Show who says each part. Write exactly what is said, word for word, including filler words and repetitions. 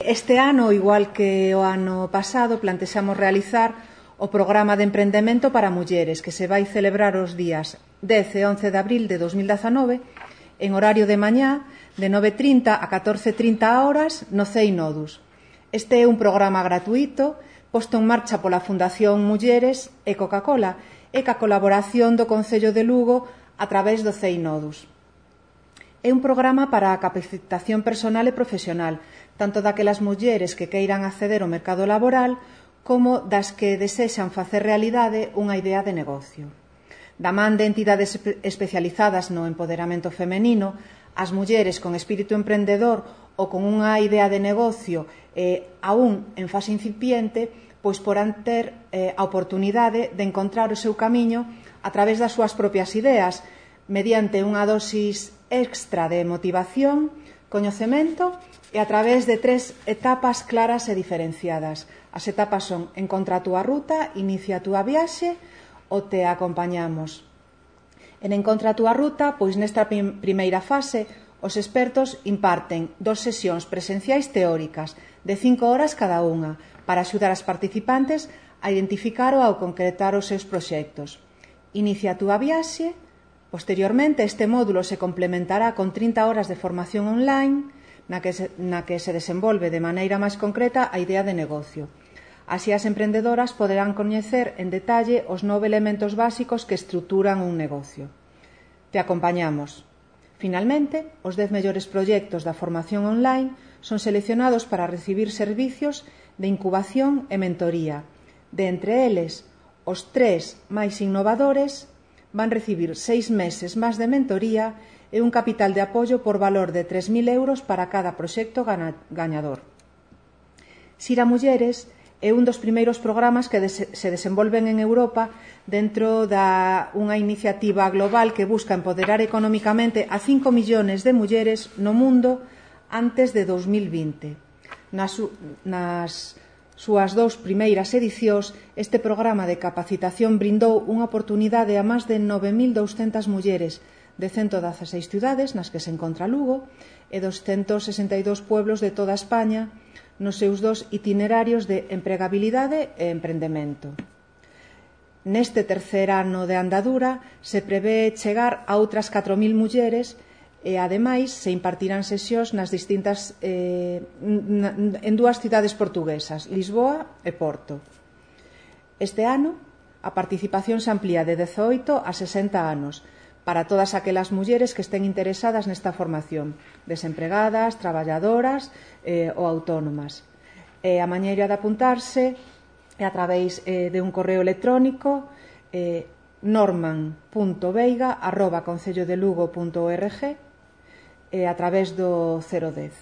Speaker 1: Este ano, igual que o ano pasado, plantexamos realizar o programa de emprendemento para mulleres que se vai celebrar os días dez e once de abril de dos mil dezanove en horario de mañá de nove e trinta a catorce e trinta horas no C E I Nodus. Este é un programa gratuito posto en marcha pola Fundación Mulleres e Coca-Cola e ca colaboración do Concello de Lugo a través do C E I Nodus. É un programa para a capacitación personal e profesional, tanto daquelas mulleres que queiran acceder ao mercado laboral como das que desexan facer realidade unha idea de negocio. Da man de entidades especializadas no empoderamento femenino, as mulleres con espírito emprendedor ou con unha idea de negocio eh, aún en fase incipiente, pois porán ter eh, a oportunidade de encontrar o seu camiño a través das súas propias ideas, mediante unha dosis extra de motivación, coñecemento e a través de tres etapas claras e diferenciadas. As etapas son: encontra a túa ruta, inicia a túa viaxe ou te acompañamos. En encontra a túa ruta, pois nesta primeira fase, os expertos imparten dos sesións presenciais teóricas de cinco horas cada unha para axudar as participantes a identificar ou a concretar os seus proxectos. Inicia a túa viaxe. Posteriormente, este módulo se complementará con trinta horas de formación online na que se, na que se desenvolve de maneira máis concreta a idea de negocio. Así as emprendedoras poderán coñecer en detalle os nove elementos básicos que estruturan un negocio. Te acompañamos. Finalmente, os dez mellores proxectos da formación online son seleccionados para recibir servicios de incubación e mentoría. De entre eles, os tres máis innovadores van recibir seis meses máis de mentoría e un capital de apoio por valor de tres mil euros para cada proxecto gañador. Sira Mulleres é un dos primeiros programas que se desenvolven en Europa dentro da unha iniciativa global que busca empoderar económicamente a cinco millóns de mulleres no mundo antes de dos mil vinte. Nas, nas súas dous primeiras edicións, este programa de capacitación brindou unha oportunidade a máis de nove mil douscentas mulleres de ciento dieciséis cidades nas que se encontra Lugo e doscientos sesenta e dous pueblos de toda España nos seus dos itinerarios de empregabilidade e emprendemento. Neste terceiro ano de andadura se prevé chegar a outras catro mil mulleres e, ademais, se impartirán sesións nas distintas eh, en dúas cidades portuguesas, Lisboa e Porto. Este ano, a participación se amplía de dezaoito a sesenta anos para todas aquelas mulleres que estén interesadas nesta formación, desempregadas, traballadoras eh, ou autónomas. E a maneira de apuntarse é a través eh, de un correo electrónico eh, norman punto veiga arroba concellodelugo punto org e a través do cero dez.